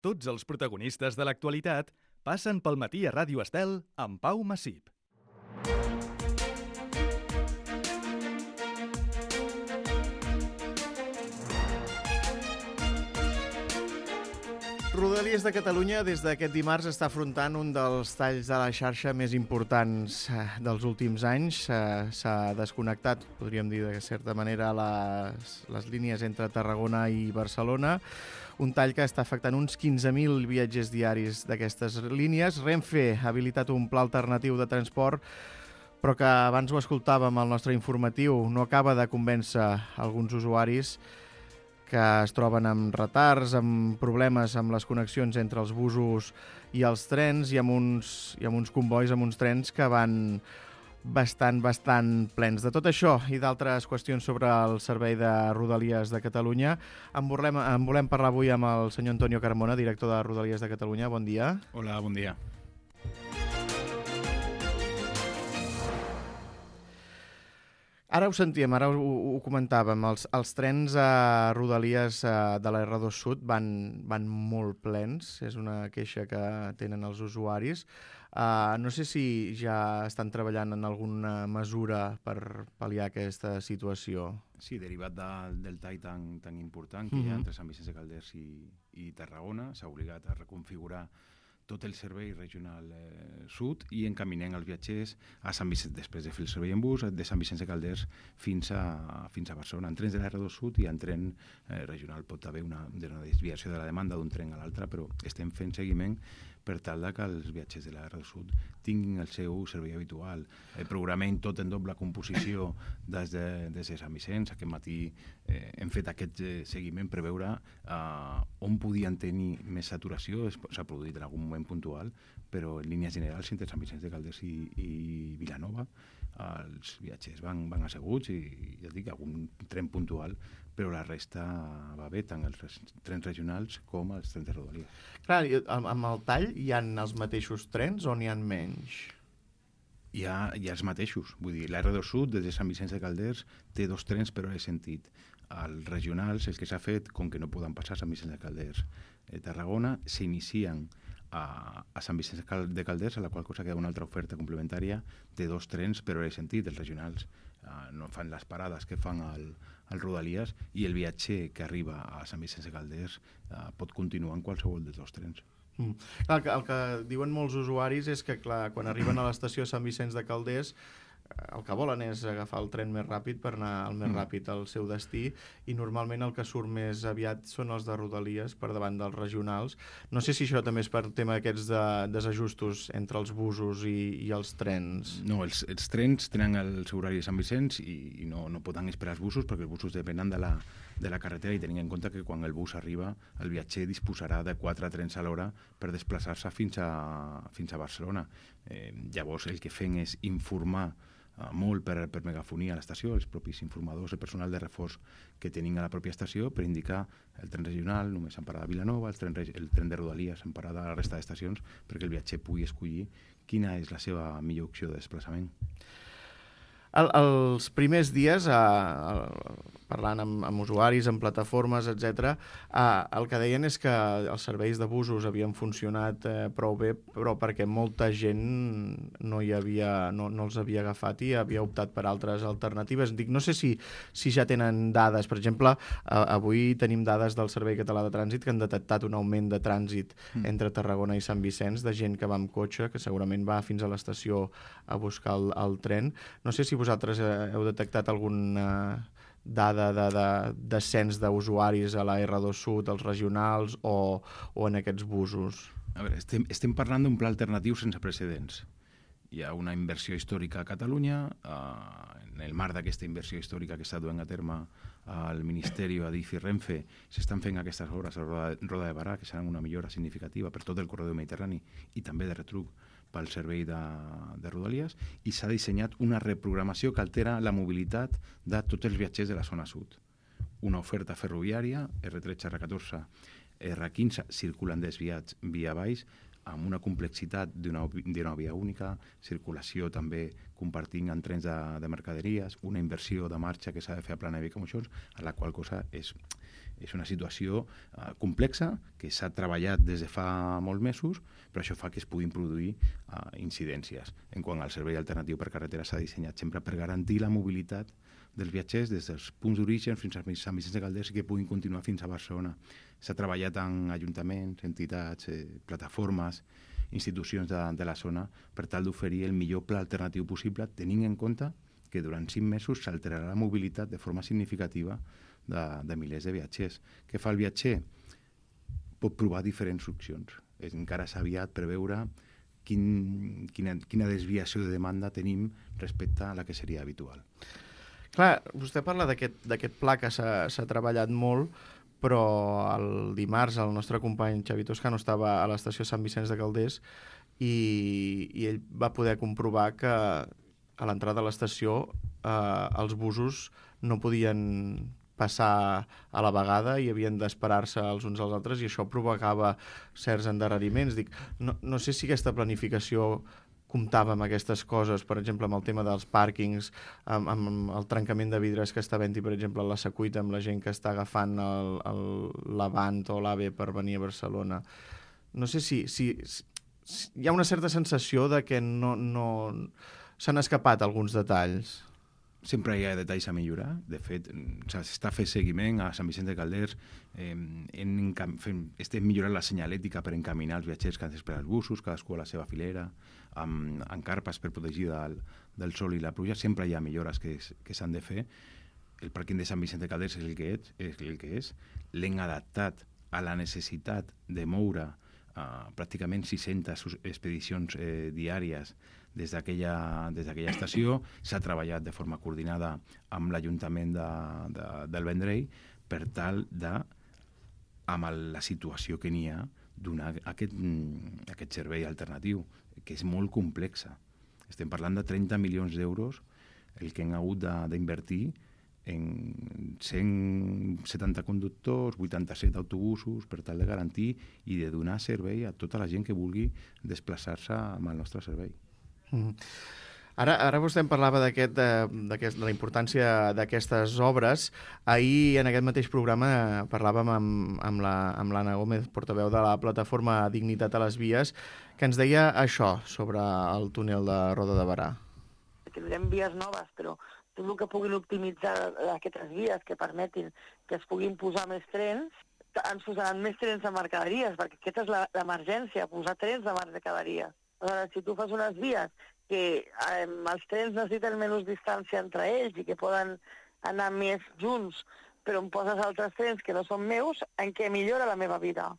Tots els protagonistes de l'actualitat passen pel matí a Ràdio Estel amb Pau Massip. Rodalies de Catalunya des d'aquest dimarts està afrontant un dels talls de la xarxa més importants dels últims anys. S'ha desconnectat, podríem dir de certa manera, les línies entre Tarragona i Barcelona. Un tall que està afectant uns 15.000 viatgers diaris d'aquestes línies. Renfe ha habilitat un pla alternatiu de transport, però que abans ho escoltàvem al nostre informatiu, no acaba de convèncer alguns usuaris que es troben amb retards, amb problemes amb les connexions entre els busos i els trens i amb uns combois, amb uns trens que van bastant plens. De tot això i d'altres qüestions sobre el servei de Rodalies de Catalunya en volem parlar avui amb el senyor Antonio Carmona, director de Rodalies de Catalunya. Bon dia. Hola, bon dia. Ara ho sentíem, ara ho comentàvem, els trens a Rodalies de la R2 Sud van molt plens, és una queixa que tenen els usuaris. No sé si ja estan treballant en alguna mesura per pal·liar aquesta situació. Sí, derivat del tall tan important que hi ha entre Sant Vicenç de Calders i Tarragona, s'ha obligat a reconfigurar tot el servei regional sud i encaminem els viatgers a Sant Vicenç, després de fer el servei en bus, de Sant Vicenç de Calders fins a Barcelona. En trens de la R2 Sud i en tren regional pot haver una desviació de la demanda d'un tren a l'altre, però estem fent seguiment per tal que els viatgers de la R2 Sud tinguin el seu servei habitual. Programem tot en doble composició des de Sant Vicenç. Aquest matí hem fet aquest seguiment per veure on podien tenir més saturació. S'ha produït en algun moment puntual, però en línies generals entre Sant Vicenç de Calders i Vilanova els viatgers van asseguts i ja et dic, algun tren puntual, però la resta va bé, tant els trens regionals com els trens de Rodalies. Clar, amb el tall hi ha els mateixos trens o n'hi ha menys? Hi ha els mateixos, vull dir, la R2 Sud des de Sant Vicenç de Calders té 2 trens per hora de sentit. Els regionals, el que s'ha fet, com que no poden passar a Sant Vicenç de Calders Tarragona, s'inicien a Sant Vicenç de Calders, a la qual cosa queda una altra oferta complementària de 2 trens per hora de sentit. Els regionals no fan les parades que fan al Rodalies i el viatger que arriba a Sant Vicenç de Calders pot continuar en qualsevol dels 2 trens. Clar, el que diuen molts usuaris és que clar, quan arriben a l'estació Sant Vicenç de Calders el que volen és agafar el tren més ràpid per anar el més ràpid al seu destí i normalment el que surt més aviat són els de Rodalies per davant dels regionals. No sé si això també és per tema aquests desajustos entre els busos i els trens. No, els trens tenen el seu horari de Sant Vicenç i no poden esperar els busos perquè els busos depenen de la carretera i tenint en compte que quan el bus arriba el viatger disposarà de 4 trens a l'hora per desplaçar-se fins a Barcelona. Llavors el que fem és informar molt per megafonia a l'estació, els propis informadors, el personal de reforç que tenim a la pròpia estació per indicar el tren regional només en parada a Vilanova, el tren de Rodalies en parada a la resta d'estacions perquè el viatger pugui escollir quina és la seva millor opció de desplaçament. Els primers dies, parlant amb usuaris, amb plataformes, etc., el que deien és que els serveis de busos havien funcionat prou bé, però perquè molta gent no els havia agafat i havia optat per altres alternatives. No sé si ja tenen dades. Per exemple, avui tenim dades del Servei Català de Trànsit que han detectat un augment de trànsit entre Tarragona i Sant Vicenç, de gent que va amb cotxe, que segurament va fins a l'estació a buscar el tren. No sé si vosaltres heu detectat alguna dada de descens d'usuaris a la R2 Sud, als regionals o en aquests busos. A veure, estem parlant d'un pla alternatiu sense precedents. Hi ha una inversió històrica a Catalunya. En el marc d'aquesta inversió històrica que està duent a terme al Ministeri, Adif i Renfe, s'estan fent aquestes obres a Roda de Barà, que seran una millora significativa per tot el corredor mediterrani i també de retruc pel servei de Rodalies, i s'ha dissenyat una reprogramació que altera la mobilitat de tots els viatgers de la zona sud. Una oferta ferroviària, R13, R14, R15, circulen desviats via baix, amb una complexitat d'una via única, circulació també compartint en trens de mercaderies, una inversió de marxa que s'ha de fer a plana de Vic-Moixons, a la qual cosa és És una situació complexa que s'ha treballat des de fa molts mesos, però això fa que es puguin produir incidències. En quant al servei alternatiu per carretera s'ha dissenyat sempre per garantir la mobilitat dels viatgers des dels punts d'origen fins a Sant Vicenç de Calders i que puguin continuar fins a Barcelona. S'ha treballat amb ajuntaments, entitats, plataformes, institucions de la zona per tal d'oferir el millor pla alternatiu possible, tenint en compte que durant 5 mesos s'alterarà la mobilitat de forma significativa de milers de viatgers. Què fa el viatger? Pot provar diferents opcions. Encara és aviat per veure quina desviació de demanda tenim respecte a la que seria habitual. Clar, vostè parla d'aquest pla que s'ha treballat molt, però el dimarts el nostre company Xavi Toscano estava a l'estació Sant Vicenç de Calders i ell va poder comprovar que a l'entrada de l'estació els busos no podien passar a la vegada i havien d'esperar-se els uns als altres i això provocava certs endarreriments. Dic, no sé si aquesta planificació comptava amb aquestes coses, per exemple, amb el tema dels pàrquings, amb el trencament de vidres que està havent-hi, per exemple, a la Secuita, amb la gent que està agafant l'Avant o l'AVE per venir a Barcelona. No sé si hi ha una certa sensació de que no s'han escapat alguns detalls. Sempre hi ha detalls a millorar. De fet, s'està fent seguiment a Sant Vicenç de Calders. Estem millorant la senyalètica per encaminar els viatgers que han d'esperar els busos, cadascú a la seva filera, amb carpes per protegir del sol i la pluja. Sempre hi ha millores que s'han de fer. El pàrquing de Sant Vicenç de Calders és el que és. L'hem adaptat a la necessitat de moure pràcticament 600 expedicions diàries des d'aquella estació. S'ha treballat de forma coordinada amb l'Ajuntament del Vendrell per tal de, amb la situació que n'hi ha, donar aquest servei alternatiu, que és molt complexa. Estem parlant de 30 milions d'euros el que hem hagut d'invertir en 170 conductors, 87 autobusos, per tal de garantir i de donar servei a tota la gent que vulgui desplaçar-se amb el nostre servei. Ara vostè em parlava de la importància d'aquestes obres. Ahir, en aquest mateix programa, parlàvem amb l'Anna Gómez, portaveu de la plataforma Dignitat a les Vies, que ens deia això sobre el túnel de Roda de Berà. Tindrem vies noves, però tot el que puguin optimitzar aquestes vies que permetin que es puguin posar més trens, ens posaran més trens de mercaderies, perquè aquesta és l'emergència, posar trens de mercaderies. Aleshores, si tu fas unes vies que els trens necessiten menys distància entre ells i que poden anar més junts, però em poses altres trens que no són meus, en què millora la meva vida?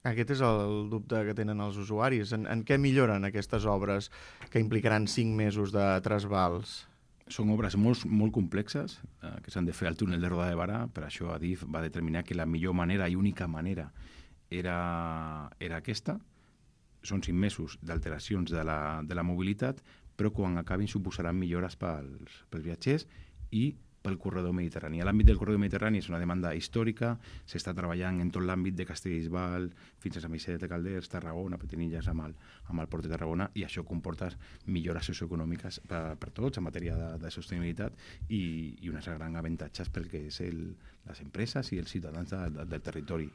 Aquest és el dubte que tenen els usuaris. En què milloren aquestes obres que implicaran 5 mesos de trasbals? Són obres molt complexes que s'han de fer al túnel de Roda de Berà. Per això Adif va determinar que la millor manera i única manera era aquesta. Són 5 mesos d'alteracions de la mobilitat, però quan acabin suposaran millores pels viatgers i pel corredor mediterrani. L'àmbit del corredor mediterrani és una demanda històrica, s'està treballant en tot l'àmbit de Castellbisbal fins a Sant Vicenç de Calders, Tarragona, Petinilles amb el port de Tarragona, i això comporta millores socioeconòmiques per tots en matèria de sostenibilitat i uns grans avantatges pel que és les empreses i els ciutadans del territori.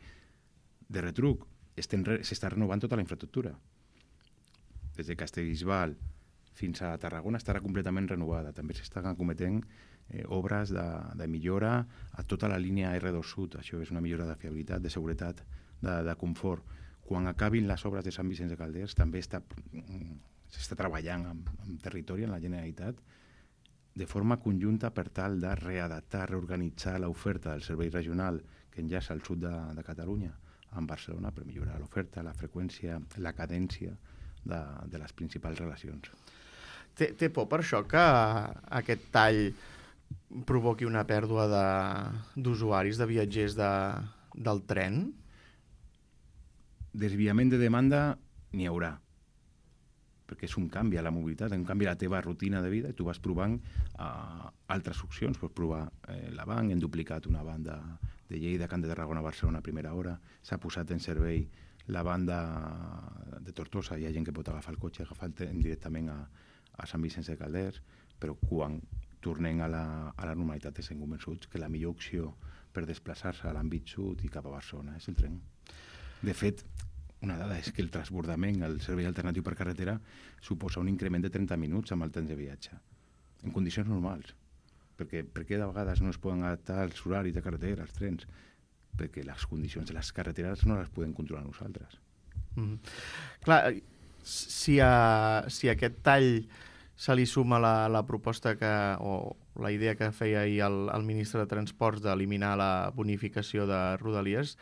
De retruc, s'està renovant tota la infraestructura. Des de Castellbisbal fins a Tarragona estarà completament renovada. També s'estan cometent obres de millora a tota la línia R2 Sud. Això és una millora de fiabilitat, de seguretat, de confort. Quan acabin les obres de Sant Vicenç de Calders també s'està treballant amb territori, en la Generalitat, de forma conjunta per tal de readaptar, reorganitzar l'oferta del servei regional que enllaça al sud de Catalunya amb Barcelona per millorar l'oferta, la freqüència, la cadència de les principals relacions. Té por per això que aquest tall provoqui una pèrdua d'usuaris, de viatgers del tren? Desviament de demanda n'hi haurà, perquè és un canvi a la mobilitat, un canvi a la teva rutina de vida i tu vas provant altres opcions. Pots provar l'Avant, hem duplicat una banda de Lleida, Camp de Tarragona, Barcelona a primera hora, s'ha posat en servei la banda de Tortosa, hi ha gent que pot agafar el cotxe, agafar el tren directament a Sant Vicenç de Calders, però quan tornem a la normalitat estem convençuts que la millor opció per desplaçar-se a l'àmbit sud i cap a Barcelona, és el tren. De fet, una dada és que el transbordament, el servei alternatiu per carretera, suposa un increment de 30 minuts amb el temps de viatge, en condicions normals. Perquè de vegades no es poden adaptar als horaris de carretera, als trens, perquè les condicions de les carreteres no les podem controlar nosaltres. Clar, si a aquest tall se li suma la proposta o la idea que feia ahir el ministre de Transports d'eliminar la bonificació de Rodalies,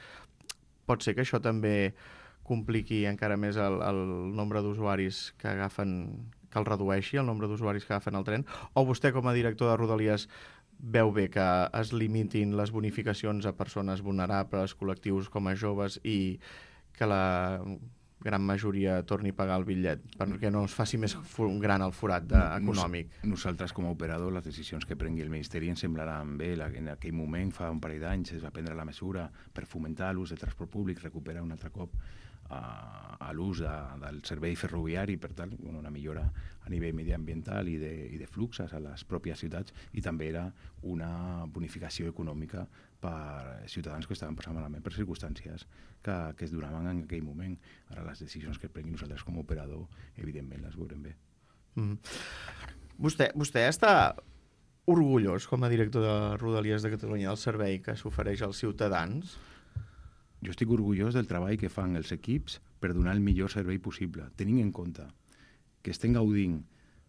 pot ser que això també compliqui encara més el nombre d'usuaris que agafen, que el redueixi, el nombre d'usuaris que agafen el tren, o vostè com a director de Rodalies veu bé que es limitin les bonificacions a persones vulnerables, col·lectius com a joves, i que la gran majoria torni a pagar el bitllet, perquè no es faci més gran el forat econòmic? Nosaltres, com a operador, les decisions que prengui el Ministeri ens semblaran bé. En aquell moment, fa un parell d'anys, es va prendre la mesura per fomentar l'ús del transport públic, recuperar un altre cop a l'ús del servei ferroviari, per tant, una millora a nivell mediambiental i de fluxes a les pròpies ciutats, i també era una bonificació econòmica per ciutadans que estaven passant malament per circumstàncies que es donaven en aquell moment. Ara les decisions que prenguin nosaltres com a operador, evidentment, les veurem bé. Vostè està orgullós, com a director de Rodalies de Catalunya, del servei que s'ofereix als ciutadans? Jo estic orgullós del treball que fan els equips per donar el millor servei possible, tenint en compte que estem gaudint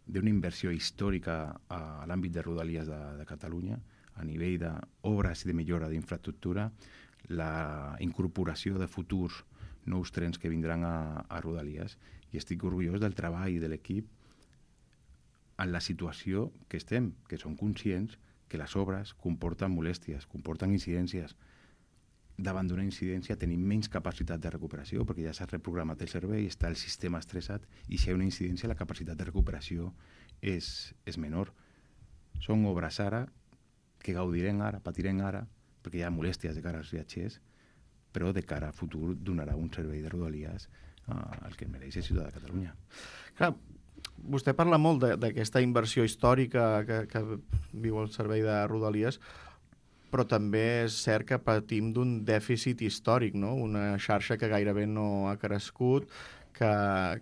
d'una inversió històrica a l'àmbit de Rodalies de Catalunya, a nivell d'obres i de millora d'infraestructura, la incorporació de futurs nous trens que vindran a Rodalies, i estic orgullós del treball de l'equip en la situació que estem, que som conscients que les obres comporten molèsties, comporten incidències. Davant d'una incidència tenim menys capacitat de recuperació perquè ja s'ha reprogramat el servei, està el sistema estressat, i si hi ha una incidència la capacitat de recuperació és menor. Són obres ara que gaudirem ara, patirem ara, perquè hi ha molèsties de cara als viatgers, però de cara a futur donarà un servei de Rodalies al que mereix el ciutadà de Catalunya. Clar, vostè parla molt d'aquesta inversió històrica que viu el servei de Rodalies, però també és cert que patim d'un dèficit històric, no? Una xarxa que gairebé no ha crescut, que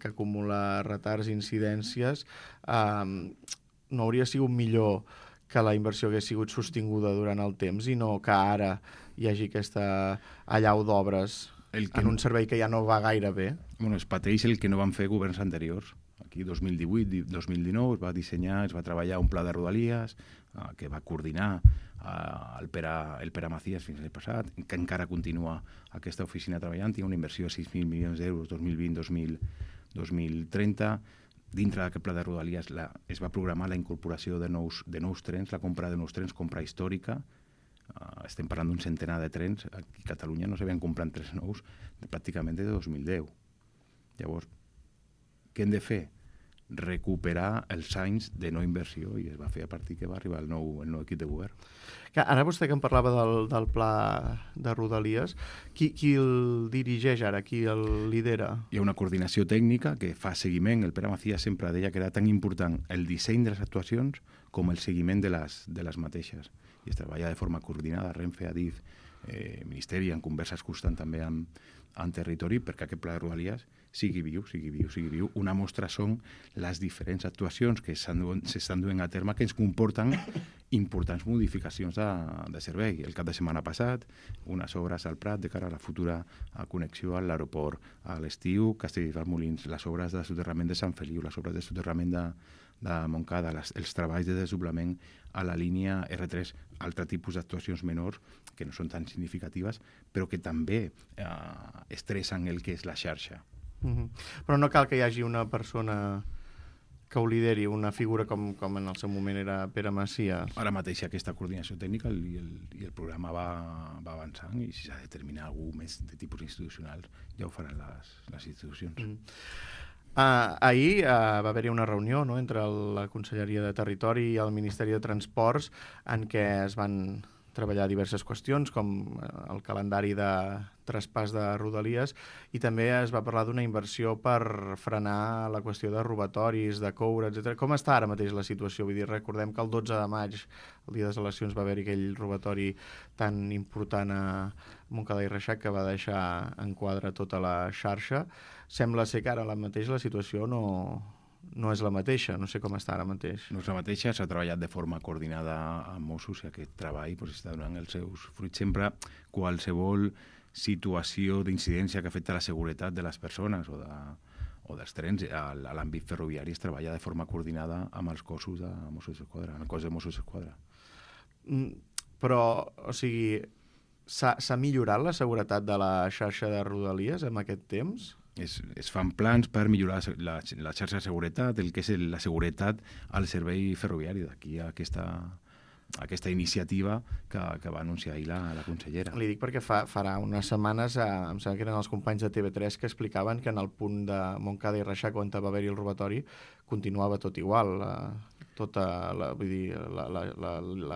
acumula retards i incidències. No hauria sigut millor que la inversió hagués sigut sostinguda durant el temps i no que ara hi hagi aquesta allau d'obres en un servei que ja no va gaire bé? Bueno, es pateix el que no van fer governs anteriors. Aquí, 2018-2019, es va dissenyar, es va treballar un pla de Rodalies que va coordinar el Pere Macías fins l'any passat, que encara continua aquesta oficina treballant. Hi ha una inversió de 6.000 milions d'euros 2020-2030. Dintre d'aquest pla de Rodalies es va programar la incorporació de nous trens, la compra de nous trens, compra històrica. Estem parlant d'un centenar de trens. Aquí a Catalunya no s'havien comprat trens nous pràcticament des de 2010. Llavors, què hem de fer? Recuperar els anys de no inversió, i es va fer a partir que va arribar el nou equip de govern. Ara vostè que em parlava del pla de Rodalies, qui el dirigeix ara? Qui el lidera? Hi ha una coordinació tècnica que fa seguiment. El Pere Macías sempre deia que era tan important el disseny de les actuacions com el seguiment de les mateixes. I es treballa de forma coordinada, Renfe, Adif, Ministeri, en converses constants també en territori, perquè aquest pla de Rodalies sigui viu. Una mostra són les diferents actuacions que s'estan duent a terme, que ens comporten importants modificacions de servei. El cap de setmana passat, unes obres al Prat de cara a la futura connexió a l'aeroport. A l'estiu, Castelldefels-Molins, les obres de soterrament de Sant Feliu, les obres de soterrament de Montcada, els treballs de desdoblament a la línia R3, altre tipus d'actuacions menors que no són tan significatives, però que també estressen el que és la xarxa. Però no cal que hi hagi una persona que ho lideri, una figura com en el seu moment era Pere Macías. Ara mateix aquesta coordinació tècnica i el programa va avançant, i si s'ha de determinar algú més de tipus institucional ja ho faran les institucions. Ahir va haver-hi una reunió, no?, entre la Conselleria de Territori i el Ministeri de Transports, en què es van treballar diverses qüestions, com el calendari de traspàs de Rodalies, i també es va parlar d'una inversió per frenar la qüestió de robatoris, de coure, etc. Com està ara mateix la situació? Vull dir, recordem que el 12 de maig, el dia de les eleccions, va haver-hi aquell robatori tan important a Montcada i Reixac que va deixar en quadre tota la xarxa. Sembla ser que ara mateix la situació no és la mateixa, no sé com està ara mateix. No és la mateixa, s'ha treballat de forma coordinada amb Mossos i aquest treball està donant els seus fruits. Sempre qualsevol situació d'incidència que afecta la seguretat de les persones o dels trens a l'àmbit ferroviari es treballa de forma coordinada amb els cossos de Mossos d'Esquadra, amb el cos de Mossos d'Esquadra. Però, o sigui, s'ha millorat la seguretat de la xarxa de Rodalies en aquest temps? Es fan plans per millorar la xarxa de seguretat, el que és la seguretat al servei ferroviari. D'aquí aquesta iniciativa que va anunciar ahir la consellera. Li dic perquè farà unes setmanes, em sembla que eren els companys de TV3 que explicaven que en el punt de Montcada i Reixac, on va haver-hi el robatori, continuava tot igual. Tota la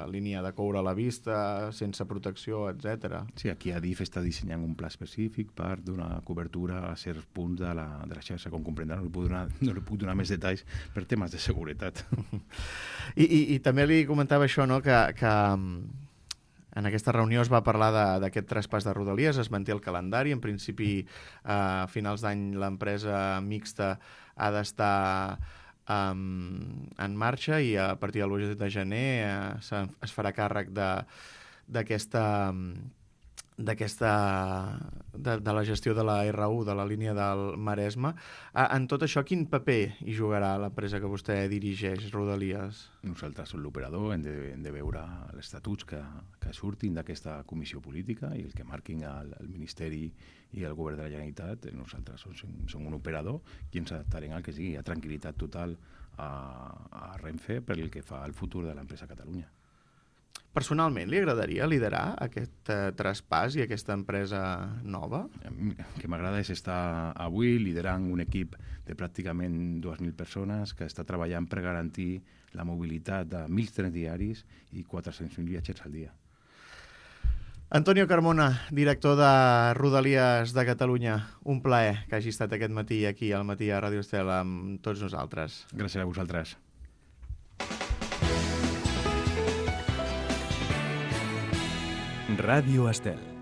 línia de coure a la vista, sense protecció, etc. Sí, aquí Adif està dissenyant un pla específic per donar cobertura a certs punts de la xarxa. Com comprendrà, no li puc donar més detalls per temes de seguretat. I també li comentava això, no?, que en aquesta reunió es va parlar d'aquest traspàs de Rodalies, es manté el calendari, en principi a finals d'any l'empresa mixta ha d'estar en marxa i a partir del 8 de gener es farà càrrec de la gestió de la R1, de la línia del Maresme. En tot això, quin paper hi jugarà l'empresa que vostè dirigeix, Rodalies? Nosaltres som l'operador, hem de veure els estatuts que surtin d'aquesta comissió política i el que marquin el Ministeri i el Govern de la Generalitat. Nosaltres som un operador i ens adaptarem al que sigui. Hi ha tranquil·litat total a Renfe per el que fa al futur de l'empresa a Catalunya. Personalment, li agradaria liderar aquest traspàs i aquesta empresa nova? El que m'agrada és estar avui liderant un equip de pràcticament 2.000 persones que està treballant per garantir la mobilitat de 1.000 trens diaris i 400.000 viatgers al dia. Antonio Carmona, director de Rodalies de Catalunya, un plaer que hagi estat aquest matí aquí al Matí a Ràdio Estel amb tots nosaltres. Gràcies a vosaltres. Ràdio Estel.